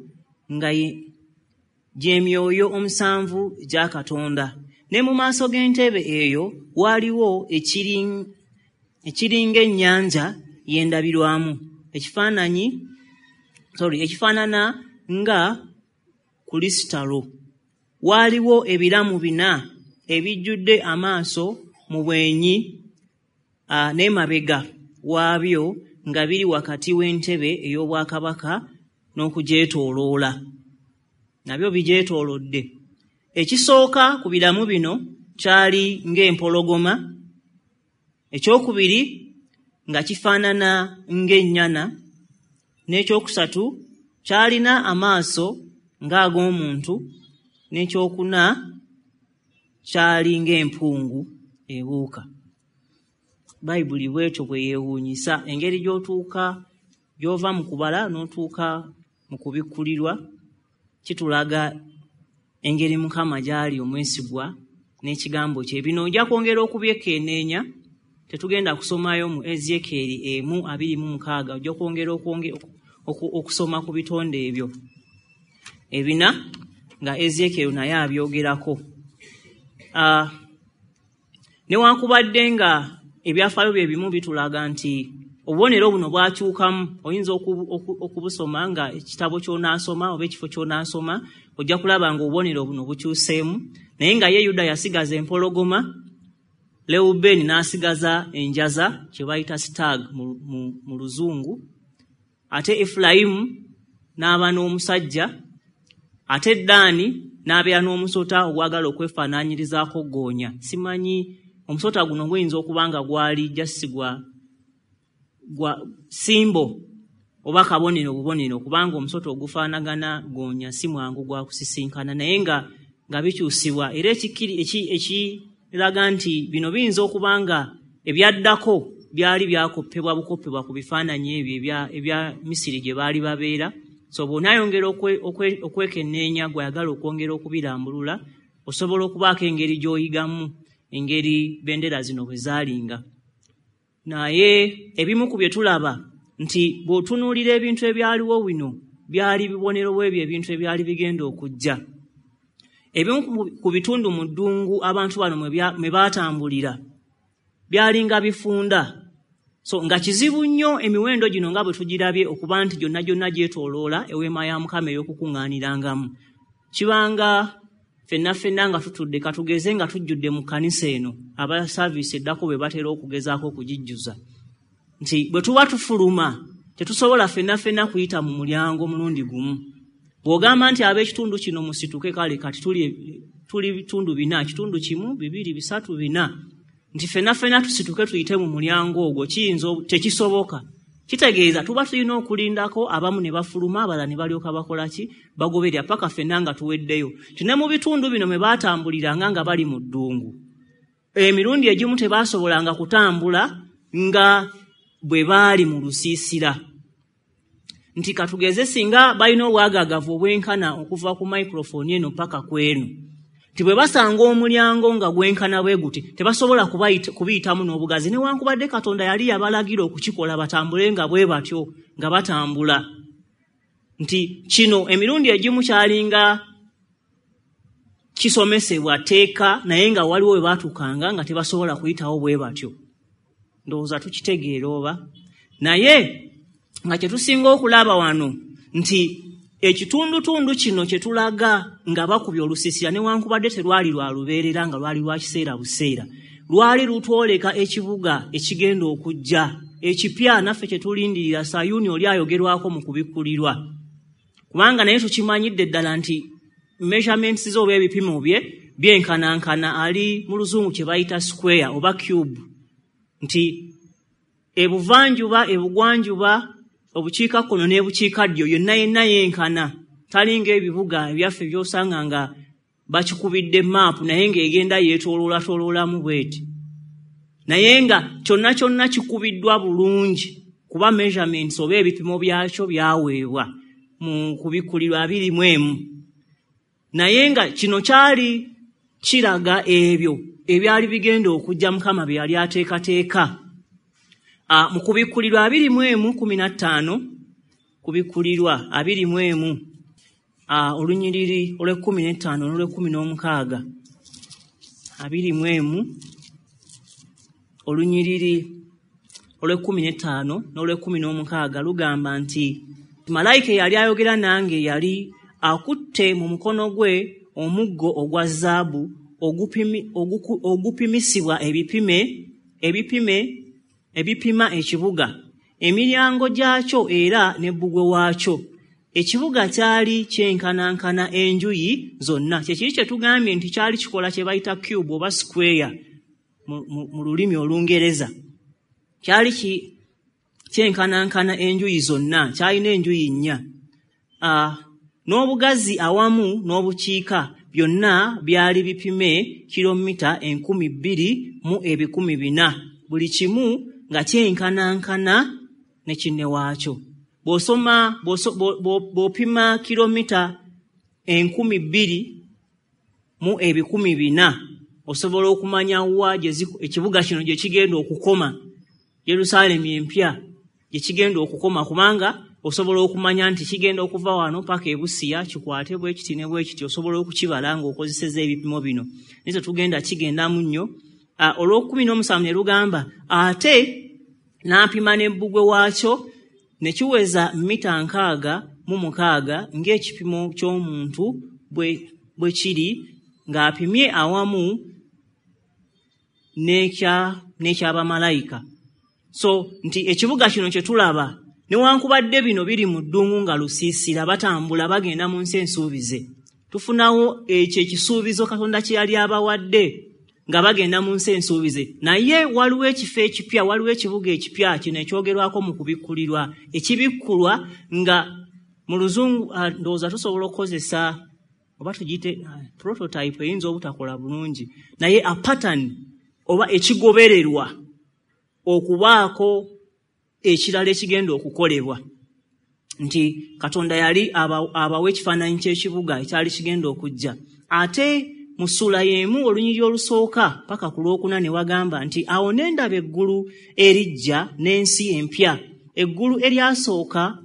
Speaker 1: nga gy'emyoyo 7 gya Katonda. Ne mu maaso g'entebe eyo waaliwo ekiringa ennyanja y'endabirwamu, ekifaanana nga kulisitalo. Waaliwo ebiramu 4 ebijjudde amaaso mu bwenyi n'emabega waabyo, nga biri wakati w'entebe ey'obwakabaka n'okugyetooloola." Nabyo bigyetoolodde. "Ekisooka ku biramu bino kyali ng'empologoma, ekyokubiri nga kifaanana ng'ennyana, n'ekyokusatu kyalina amaaso ng'ag'omuntu, n'ekyokuna kyali ng'empungu ebuuka. Bayibuli bwetyo bwe yeewuunyisa engeri gy'otuuka gy'ova mu kubala n'otuuka mu kubikkulirwa, kitulaga engeri Mukama gy'ali omwesigwa n'ekigambo kye. Bino ojja kwongera okubyekenneenya, tetugenda kusomayo mu Ezeekyeri 1:26, ojja kwongera okusoma ku bitonde ebyo ebina nga Ezeekyeri naye abyogerako. Newankubadde nga ebyafaayo bye bimu bitulaga nti obubonero buno bwakyukamu, oyinza okubusoma nga ekitabo ky'onaasoma oba ekifo ky'onaasoma, ojja kulaba nga obubonero buno bukyuseemu, naye nga ye Yuda yasigaza empologoma, Lewubeeni n'asigaza enjaza kye bayita stag mu Luzungu, ate Efulayimu n'aba n'omusajja, ate Ddaani n'abeera n'omusota ogwagala okwefaanaanyirizaako ggoonya. Simanyi omusota guno guyinza okuba nga gwali jasigwa gwa simbo oba kabonero bubonero, kubanga omusota ogufaanagana ggoonya si mwangu gwa kusisinkana, naye nga bikyusibwa. Era ekiraga nti bino biyinza okuba nga ebyaddako byali byakoppebwa bukoppebwa ku bifaananyi ebyo ebya Misiri gye baali babeera. So bw'onaayongera okwekenneenya, gw'ayagala okwongera okubirambulula, osobola okubaako engeri gy'oyigamu engeri bendera zino bwe zaalinga. Naye ebimu ku bye tulaba nti bw'otunuulira ebintu ebyaliwo bino byali bibonero bw'ebyo ebintu ebyali bigenda okujja. Ebimu ku bitundu mu ddungu abantu bano mwe baatambulira byalinga bifunda, so nga kizibu nnyo emiwendo gino nga bwe tugirabye okuba nti gyonna gyonna gyetooloola eweema ya Mukama ey'okukuŋŋaanirangamu. Kibanga ffenna ffenna nga tutudde, katugeze nga tujjudde mu kkanisa eno, aba saaviisi eddako bwe batera okugezaako okugijjuza, nti bwe tuba tufuluma tetusobola ffenna ffenna kuyita mu mulyango mulundi gumu. Bw'ogamba nti ab'ekitundu kino musituke, kale kati tuli bitundu bina, kitundu 1, 2, 3, 4, nti ffenna ffenna tusituke tuyite mu mulyango ogwo, kiyinza tekisoboka. Kitegeeza tuba tulina okulindako abamu ne bafuluma, abalala ne balyoka bakola ki, bagoberera paka ffenna nga tuweddeyo. Nti ne mu bitundu bino mwe baatambuliranga nga bali mu ddungu, emirundi egimu tebaasobolanga kutambula nga bwe baali mu lusiisira. Nti katugeze singa balina obwagaagavu obwenkana okuva ku microphone eno paka ku eno, nti bwe basanga omulyango nga gwenkana bwe guti tebasobola kubiyitamu n'obugazi, newankubadde Katonda yali yabalagira okukikola batambule nga bwe batyo nga batambula. Nti kino emirundi egimu kyalinga kisomesebwa tteeka, naye nga waliwo we baatuukanga nga tebasobola kuyitawo bwe batyo. Ndowooza tukitegeera oba? Naye nga kye tusinga okulaba wano nti ekitundutundu kino kye tulaga nga bakubye olusiisira, newankubadde terwali lwa lubeerera nga lwali lwa kiseera buseera, lwali lutwoleka ekibuga ekigenda okujja ekipya naffe kye tulindirira, Sayuuni oli ayogerwako mu kubikkulirwa. Kubanga naye tukimanyidde ddala nti measurements ze oba ebipimo bye byenkanankana, ali mu Luzungu kye bayita square oba cube, nti ebuvanjuba, ebugwanjuba, obukiikakkono n'ebukiikaddyo yonna yenna yenkana, talinga ebibuga ebyaffe by'osanga nga bakikubidde maapu naye ng'egenda yeetooloolatoloolamu bw'eti, naye nga kyonna kyonna kikubiddwa bulungi kuba measurements oba ebipimo byakyo byaweebwa mu kubikkulirwa 21. Naye nga kino kyali kiraga ebyo ebyali bigenda okujja Mukama bye yali ateekateeka. Mu kubikkulirwa 21:15, kubikkulirwa 21, olunyiriri olw'e15 n'olw'e16, 21 olunyiriri olw'e15 n'olw'e16 lugamba nti malayika eyali ayogera nange yali akutte mu mukono gwe omuggo ogwa zaabu ogupimisibwa ebipima ekibuga, emiryango gyakyo era n'ebbugwe waakyo. Ekibuga kyali kyenkanankana enjuyi zonna. Kye kiri kye tugambye nti kyali kikola kye bayita cube oba square mu lulimi Olungereza. Kyali kyenkanankana enjuyi zonna, kyalina enjuyi 4. N'obugazi awamu n'obukiika byonna byali bipime kilomita 2400, buli kimu nga kyenkanankana ne kinne waakyo. Bw'osoma bw'opima kilomita 2400 osobola okumanya wa ekibuga kino gye kigenda okukoma, Yerusaalemi empya gye kigenda okukoma, kubanga osobola okumanya nti kigenda okuva wano paka e Busia, kikwate bwe kiti ne bwe kiti, osobola okukibala ng'okozesezza ebipimo bino. Naye tetugenda kigendamu nnyo. Olw'okukuumi n'omusanvu ne lugamba, ate n'apima n'ebbugwe waakyo ne kiweza mita 66 ng'ekipimo ky'omuntu bwe kiri, ng'apimye awamu n'ekyabamalayika. So nti ekibuga kino kye tulaba, newankubadde bino biri mu ddungu nga lusiisira, batambula bagenda mu nsi ensuubize, tufunawo ekyo ekisuubizo Katonda kye yali abawadde nga bagenda mu nsi ensuubize. Naye waliwo ekifo ekipya, waliwo ekibuga ekipya kino ekyogerwako mu kubikkulirwa, ekibikkulwa nga mu Luzungu ndowooza tusobola okukozesa oba tugiyite prototype, eyinza obutakola bulungi, naye a pattern oba ekigobererwa okubaako ekirala ekigenda okukolebwa, nti Katonda yali abawa ekifaananyi ky'ekibuga ekyali kigenda okujja. Ate mu ssuula y'emu, olunyiriri olusooka paka ku lwokuna, ne wagamba nti, awo ne ndaba eggulu eriggya n'ensi empya, eggulu eryasooka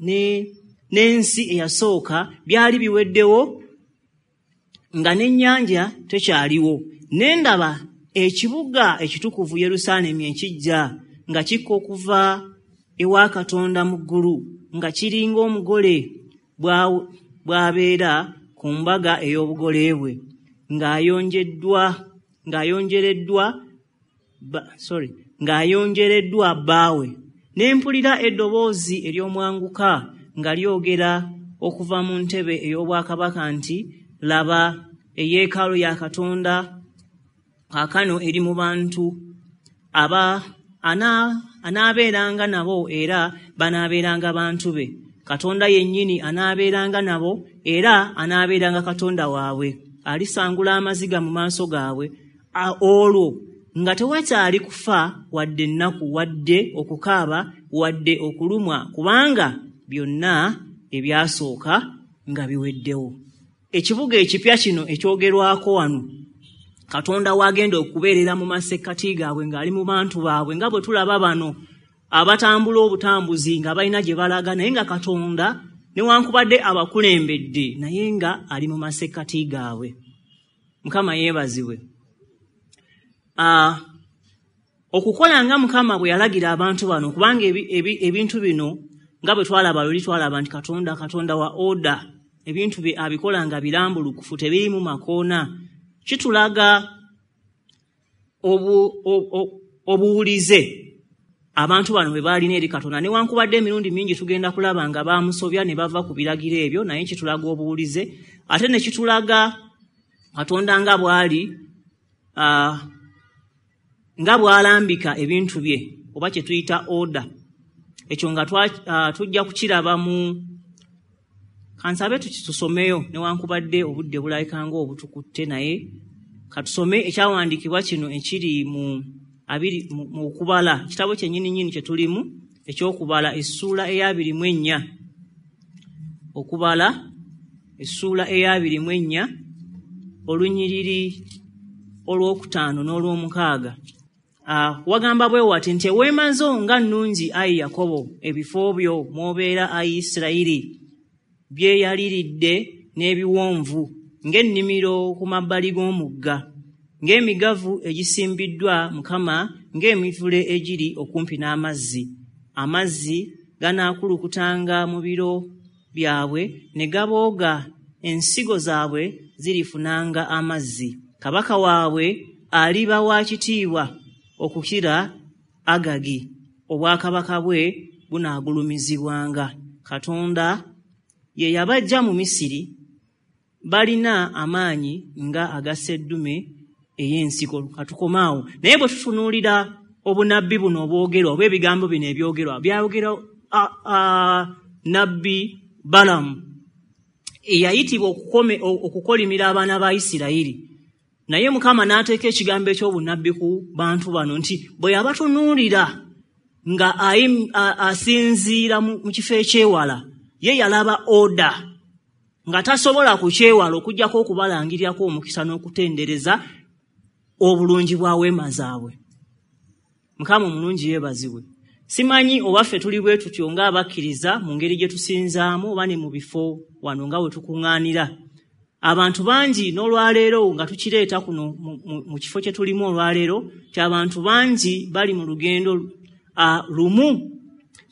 Speaker 1: n'ensi eyasooka byali biweddewo, nga n'ennyanja tekyaliwo. Ne ndaba ekibuga ekitukuvu Yerusaalemi ekiggya nga kikka okuva ewa Katonda mu ggulu, nga kiringa omugole bw'abeera ku mbaga ey'obugole bwe, ng'ayonjereddwa sorry, ng'ayonjereddwa bbaawe. Ne mpulira eddoboozi ery'omwanguka nga lyogera okuva mu ntebe ey'obwakabaka nti, laba, eyeekaalu ya Katonda kaakano eri mu bantu, aba anaabeeranga nabo era banaabeeranga bantu be. Katonda yennyini anaabeeranga nabo era anaabeeranga Katonda waabwe. Alisangula amaziga mu maaso gaabwe, olwo nga tewakyali kufa, wadde ennaku, wadde okukaaba, wadde okulumwa, kubanga byonna ebyasooka nga biweddewo. Ekibuga ekipya kino ekyogerwako wano, Katonda wagenda okubeerera mu masekkati gaabwe ng'ali mu bantu baabwe, nga bwe tulaba bano abatambula obutambuzi nga balina gye balaga, naye nga Katonda newankubadde abakulembedde, naye nga ali mu masekkati gaabwe. Mukama yeebazibwe. Okukola nga Mukama bwe yalagira abantu bano, kubanga ebintu bino nga bwe twalaba luli, twalaba nti Katonda wa order, ebintu bye abikola nga birambulukufu, tebirimu makoona. Kitulaga obuwulize abantu bano bwe baalina eri Katonda, newankubadde emirundi mingi tugenda kulaba nga bamusobya ne bava ku biragiro ebyo, naye kitulaga obuwulize, ate ne kitulaga Katonda nga bw'ali nga bw'alambika ebintu bye, oba kye tuyita order. Ekyo nga tujja kukiraba mu kansabe tusomeyo, newankubadde obudde bulabika nga obutukutte, naye katusome ekyawandiikibwa kino ekiri mu abiri mu Okubala, ekitabo kyennyini nnyini kye tulimu eky'Okubala, essuula eya 24. Okubala essuula eya 24, olunyiriri olwokutaano n'olwomukaaga. Wagamba bwe wati nti, eweema zo nga nnungi, ayi Yakobo, ebifo byo mw'obeera, ayi Isirayiri, byeyaliridde n'ebiwonvu ng'ennimiro ku mabbali g'omugga, ng'emigavu egisimbiddwa Mukama, ng'emivule egiri okumpi n'amazzi. Amazzi ganaakulukutanga mu biro byabwe ne gabooga, ensigo zaabwe zirifunanga amazzi. Kabaka waabwe aliba wa kitiibwa okukira Agagi, obwakabaka bwe bunaagulumizibwanga. Katonda ye yabaggya mu Misiri, balina amaanyi nga aga sseddume ey'ensiko. Katukomaawo. Naye bwe tutunuulira obunabbi buno obwogerwa oba ebigambo bino ebyogerwa, byayogerwa nabbi Balamu. Eyayitibwa okukolimira abaana ba Isirayiri. Naye Mukama n'ateeka ekigambo eky'obunnabbi ku bantu bano nti bwe yabatunuulira nga asinziira mu kifo ekyewala, ye yalaba oda nga tasobola kukyewala okuggyako okubalangirirako omukisa n'okutendereza obulungi bwa weema zaabwe. Mukama omulungi yeebazibwe. Simanyi oba ffe tuli bwe tutyo ng'abakkiriza mu ngeri gye tusinzaamu oba ne mu bifo wano nga we tukuŋŋaanira. Abantu bangi n'olwaleero nga tukireeta kuno mu kifo kye tulimu olwaleero, nti abantu bangi bali mu lugendo lumu.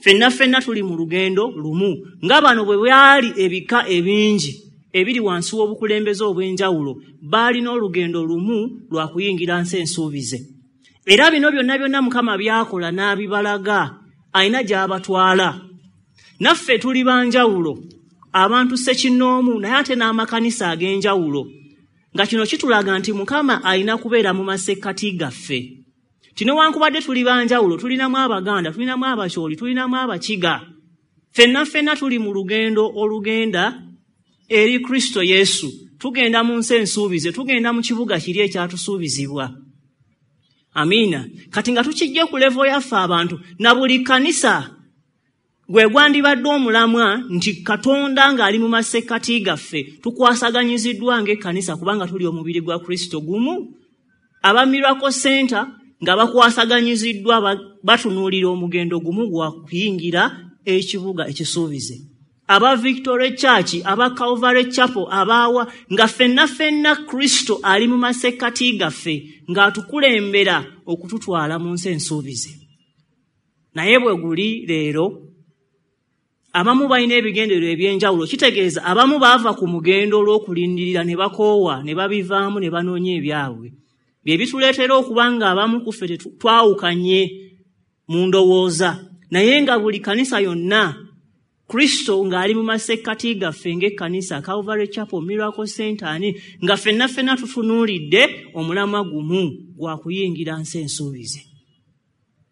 Speaker 1: Ffenna ffenna tuli mu lugendo lumu. Nga bano bwe byali ebika ebingi ebiri wansi w'obukulembeze obw'enjawulo, baalina olugendo lumu lwa kuyingira nsi ensuubize. Era bino byonna byonna Mukama by'akola n'abibalaga, alina gy'abatwala. Naffe tuli ba njawulo, abantu ssekinnoomu, naye ate n'amakanisa ag'enjawulo. Nga kino kitulaga nti Mukama alina kubeera mu masekkati gaffe. Nti newankubadde tuli ba njawulo, tulinamu Abaganda, tulinamu Abakyoli, tulinamu Abakiga. Ffenna ffenna tuli mu lugendo olugenda eri Kristo Yesu. Tugenda mu nsi ensuubize, tugenda mu kibuga kiri ekyatusuubizibwa. Amiina. Kati nga tukijje ku level yaffe abantu, na buli kkanisa gwe gwandibadde omulamwa nti Katonda ng'ali mu masekkati gaffe, tukwasaganyiziddwa ng'ekkanisa kubanga tuli omubiri gwa Kristo gumu. Aba Miracle Center nga bakwasaganyiziddwa batunuulira omugendo gumu gwa kuyingira ekibuga ekisuubize. Aba Victory Church, aba Calvary Chapel, abaawa nga ffenna ffenna Kristo ali mu masekkati gaffe ng'atukulembera okututwala mu nsi ensuubize. Naye bwe guli leero, abamu balina ebigendererwa eby'enjawulo, kitegeeza abamu baava ku mugendo olw'okulindirira ne bakoowa, ne babivaamu ne banoonya ebyabwe. Bye bituleetera okuba nga abamu ku ffe twawukanye mu ndowooza, naye nga buli kkanisa yonna Kristo ng'ali mu masekkati gaffe ng'ekkanisa Calvary Chapel, Miracle Center, ani nga ffenna ffenna tutunuulidde omulamwa gumu gwa kuyingira nsi ensuubize.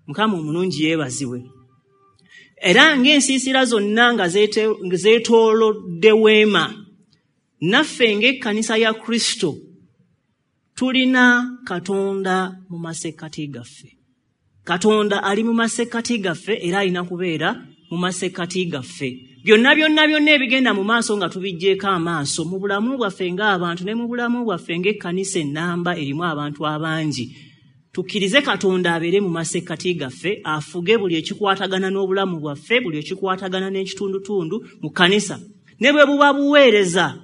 Speaker 1: Mukama omulungi yeebazibwe. Era ng'ensiisira zonna nga zeetoolodde weema, naffe ng'ekkanisa ya Kristo tulina Katonda mu masekkati gaffe. Katonda ali mu masekkati gaffe era alina kubeera mu masekkati gaffe. Byonna byonna byonna ebigenda mu maaso nga tubiggyeeko amaaso mu bulamu bwaffe ng'abantu ne mu bulamu bwaffe ng'ekkanisa ennamba erimu abantu abangi. Tukkirize Katonda abeere mu masekkati gaffe, afuge buli ekikwatagana n'obulamu bwaffe, buli ekikwatagana n'ekitundutundu mu kkanisa. Ne bwe buba buweereza,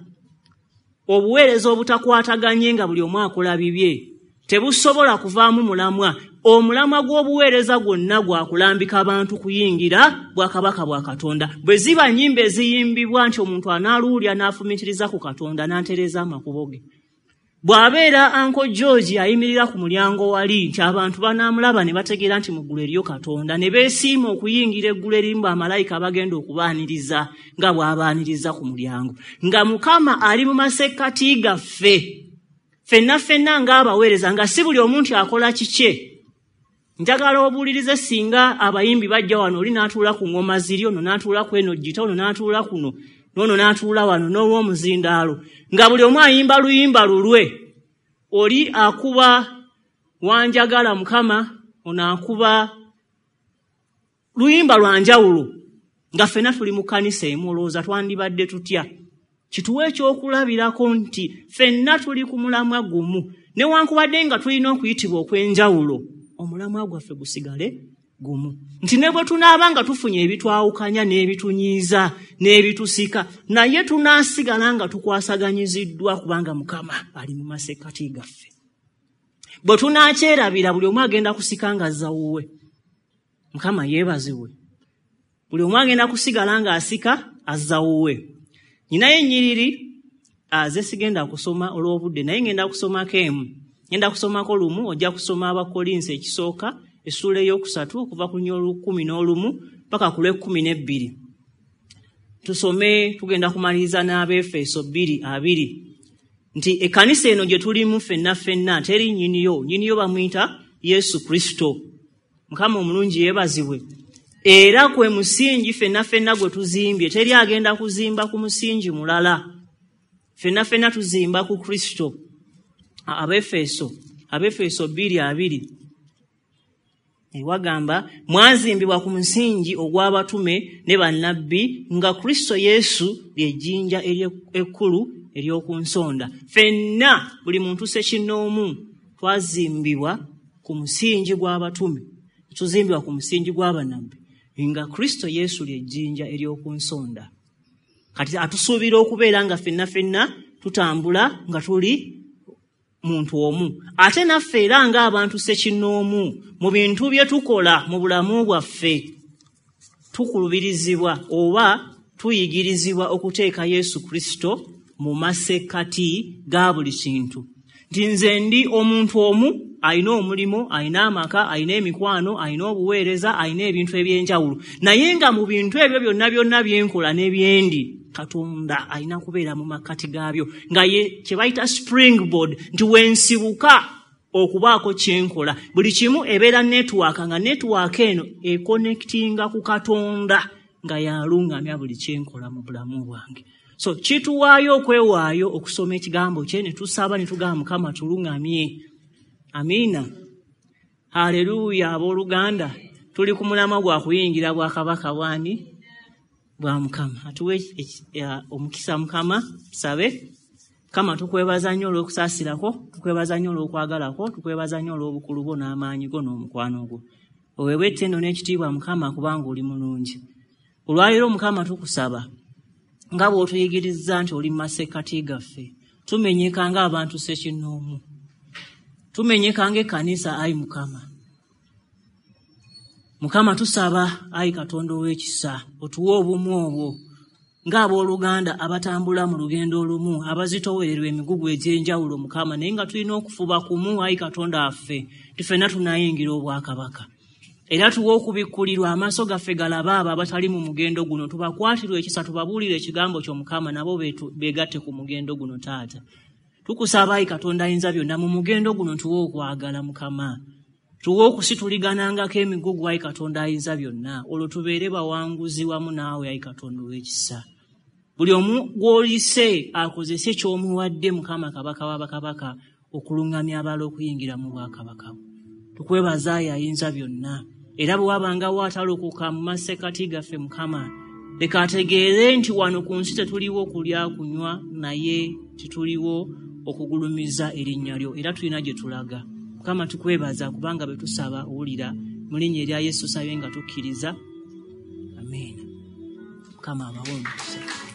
Speaker 1: obuweereza obutakwataganye nga buli omu akola bibye, tebusobola kuvaamu mulamwa. Omulamwa gw'obuweereza gwonna gwa kulambika abantu kuyingira bwakabaka bwa Katonda. Bwe ziba nnyimba eziyimbibwa nti omuntu anaaluwulira n'afumiitiriza ku Katonda n'antereeza amakubo ge. Bw'abeera Uncle George ayimirira ku mulyango wali nti abantu banaamulaba ne bategeera nti mu ggulu eriyo Katonda, ne beesiima okuyingira eggulu erimu bamalayika abagenda okubaaniriza nga bw'abaaniriza ku mulyango. Nga Mukama ali mu masekkati gaffe, ffenna ffenna ng'abaweereza, nga si buli omuntu akola kikye. Njagala obuulirize singa abayimbi bajja wano, oli n'atuula ku ngoma ziri, ono n'atuula ku eno gita, ono n'atuula kuno, n'ono n'atuula wano, n'olw'omuzindaalo, nga buli omu ayimba luyimba lulwe. Oli akuba wanjagala Mukama, ono akuba luyimba lwa njawulo, nga ffenna tuli mu kkanisa emu. Olowooza twandibadde tutya? Kituwe ekyokulabirako nti ffenna tuli ku mulamwa gumu, newankubadde nga tulina okuyitibwa okw'enjawulo, omulamwa gwaffe gusigale gumu. Nti ne bwe tunaaba nga tufunye ebitwawukanya n'ebitunyiiza n'ebitusika, naye tunaasigala nga tukwasaganyiziddwa kubanga Mukama ali mu masekkati gaffe. Bwe tunaakyerabira, buli omu agenda kusika ng'azza wuwe. Mukama yeebazibwe. Buli omu agenda kusigala ng'asika azza wuwe. Nninayo ennyiriri ze sigenda kusoma olw'obudde, naye ngenda kusomako emu. Ngenda kusomako lumu, ojja kusoma Abakkolinso ekisooka essuula 3 okuva ku 11 paka ku 12. Tusome, tugenda kumaliriza n'Abeefeso 2:20 nti ekkanisa eno gye tulimu ffenna ffenna teri nnyiniyo, nnyiniyo bamuyita Yesu Kristo. Mukama omulungi yeebazibwe. Era kwe musingi ffenna ffenna gwe tuzimbye, teri agenda kuzimba ku musingi mulala. Ffenna ffenna tuzimba ku Kristo. Abefeso 2:2 wagamba mwazimbibwa ku musingi ogw'abatume ne bannabbi, nga Kristo Yesu ly'ejjinja ekkulu ery'oku nsonda. Ffenna buli muntu ssekinnoomu twazimbibwa ku musingi gw'abatume, tuzimbibwa ku musingi gw'abannabbi, nga Kristo Yesu ly'ejjinja ery'oku nsonda. Kati atusuubira okubeera nga ffenna ffenna tutambula nga tuli muntu omu. Ate naffe era ng'abantu ssekinnoomu mu bintu bye tukola mu bulamu bwaffe tukulubirizibwa oba tuyigirizibwa okuteeka Yesu Kristo mu masekkati ga buli kintu. Nti nze ndi omuntu omu, alina omulimu, alina amaka, alina emikwano, alina obuweereza, alina ebintu eby'enjawulo, naye nga mu bintu ebyo byonna byonna byenkola n'ebyendi, Katonda alina kubeera mu makkati gaabyo, nga ye kye bayita springboard, nti wensibuka okubaako kyenkola. Buli kimu ebeera network, nga network eno ekonectinga ku Katonda, nga yalungamya buli kyenkola mu bulamu bwange. So kituwaayo okwewaayo okusoma ekigambo kye, ne tusaba ne tugamba Mukama tulungamye. Amiina. Haleluya. Abooluganda, tuli ku mulamwa gwa kuyingira bwakabaka bwani? Bwa Mukama. Atuwe omukisa Mukama. Tusabe. Mukama, tukwebaza nnyo olw'okusaasirako, tukwebaza nnyo olw'okwagalako, tukwebaza nnyo olw'obukulu bwo n'amaanyi go n'omukwano gwo. Oweebwe ettendo n'ekitiibwa Mukama, kubanga oli mulungi. Olwaleero Mukama tukusaba nga bw'otuyigirizza nti oli mu masekkati gaffe, tumenyeka ng'abantu ssekinnoomu, tumenyeka ng'ekkanisa, ayi Mukama. Mukama tusaba, ayi Katonda ow'ekisa, otuwe obumu obwo ng'abooluganda abatambula mu lugendo olumu, abazitowererwa emigugu egy'enjawulo Mukama, naye nga tulina okufuba kumu, ayi Katonda waffe, nti ffenna tunaayingira obwakabaka. Era tuwe okubikkulirwa, amaaso gaffe galabe abo abatali mu mugendo guno, tubakwatirwe ekisa, tubabuulire ekigambo kyo Mukama, nabo beegatte ku mugendo guno. Taata, tukusaba, ayi Katonda ayinza byonna, mu mugendo guno tuwe okwagala Mukama, tuwe okusituliganangako emigugu, ayi Katonda ayinza byonna, olwo tubeere bawanguzi wamu naawe, ayi Katonda ow'ekisa. Buli omu gw'olise akozese ky'omuwadde Mukama Kabaka w'abakabaka okuluŋŋamya abalala okuyingira mu bwakabaka bwo. Tukwebaza, ayi ayinza byonna. Era bwe wabangawo atalokoka mu masekkati gaffe Mukama, leka ategeere nti wano ku nsi tetuliwo kulya kunywa, naye tetuliwo okugulumiza erinnya lyo, era tulina gye tulaga. Mukama tukwebaza kubanga bwe tusaba owulira. Mu linnya erya Yesu tusabye nga tukkiriza, amiina. Mukama abawe omukisa.